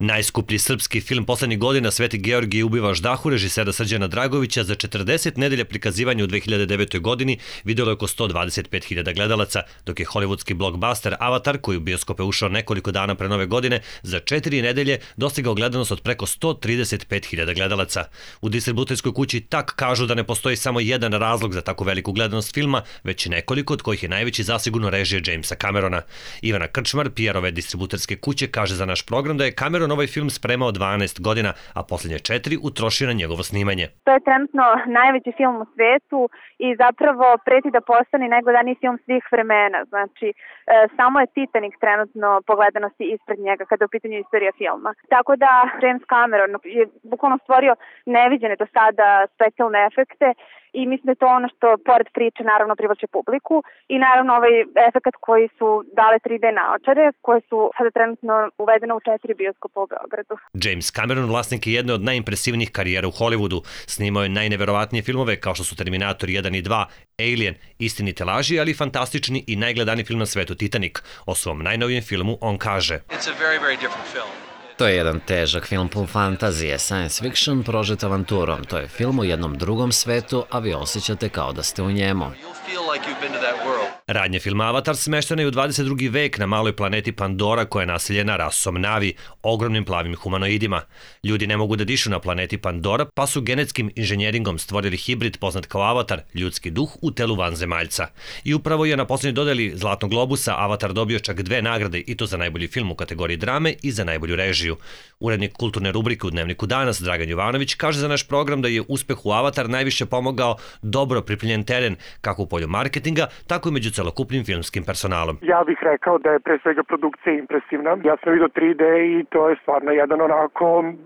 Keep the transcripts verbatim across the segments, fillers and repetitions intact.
Najskuplji srpski film poslednjih godina Sveti Georgije ubiva ždahu režisera Srđana Dragovića za četrdeset nedelja prikazivanja u dve hiljade devetoj. godini videlo je oko sto dvadeset pet hiljada gledalaca, dok je hollywoodski blockbuster Avatar, koji u bioskope ušao nekoliko dana pre nove godine, za četiri nedelje dostigao gledanost od preko sto trideset pet hiljada gledalaca. U distributerskoj kući Tak kažu da ne postoji samo jedan razlog za takvu veliku gledanost filma, već nekoliko, od kojih je najveći zasigurno režija Jamesa Camerona. Ivana Krčmar, P R-ove distributerske kuće, kaže za naš program da je Cameron ovaj film spremao dvanaest godina, a posljednje četiri utrošio na njegovo snimanje. To je trenutno najveći film u svetu i zapravo preti da postane najgledaniji film svih vremena. Znači, e, samo je Titanic trenutno po gledanosti ispred njega kada je u pitanju istorija filma. Tako da James Cameron je bukvalno stvorio neviđene do sada specijalne efekte i mislim da je to ono što pored priče naravno privlači publiku i naravno ovaj efekt koji su dale tri D naočare koje su sada trenutno uvedene u četiri bioskopa u Beogradu. James Cameron vlasnik je jedne od najimpresivnijih karijera u Hollywoodu. Snimao je najneverovatnije filmove kao što su Terminator jedan i dva, Alien, Istinite laži, ali fantastični i najgledaniji film na svetu Titanic. O svom najnovijem filmu on kaže: It's a very, very different film. To je jedan težak film pun fantazije, science fiction prožet avanturom. To je film u jednom drugom svetu, a vi osjećate kao da ste u njemu. Radnje filma Avatar smeštena je u dvadeset drugi vek na maloj planeti Pandora koja je naseljena rasom Navi, ogromnim plavim humanoidima. Ljudi ne mogu da dišu na planeti Pandora, pa su genetskim inženjeringom stvorili hibrid poznat kao Avatar, ljudski duh u telu vanzemaljca. I upravo je na posljednjoj dodeli Zlatnog globusa Avatar dobio čak dve nagrade, i to za najbolji film u kategoriji drame i za najbolju režiju. Urednik kulturne rubrike u Dnevniku Danas, Dragan Jovanović, kaže za naš program da je uspeh u Avatar najviše pomogao dobro pripremljen teren, kako u polju marketinga, tako i među celokupnim filmskim personalom. Ja bih rekao da je pre svega produkcija impresivna. Ja sam vidio tri D i to je stvarno jedan onako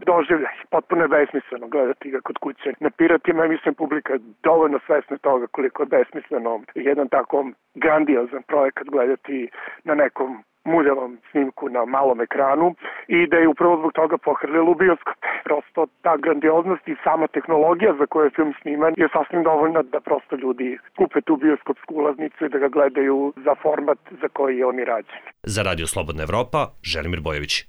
doživljaj. Potpuno je besmisleno gledati ga kod kuće. Na Piratima je, mislim, publika dovoljno svesna toga koliko je besmisleno jedan tako grandiozan projekat gledati na nekom muljavom snimku na malom ekranu i da je upravo zbog toga pohrlilo u bioskop. Prosto ta grandioznost i sama tehnologija za koju je film sniman je sasvim dovoljna da prosto ljudi kupe tu bioskopsku ulaznicu i da ga gledaju za format za koji je on i rađen. Za Radio Slobodna Evropa, Želimir Bojović.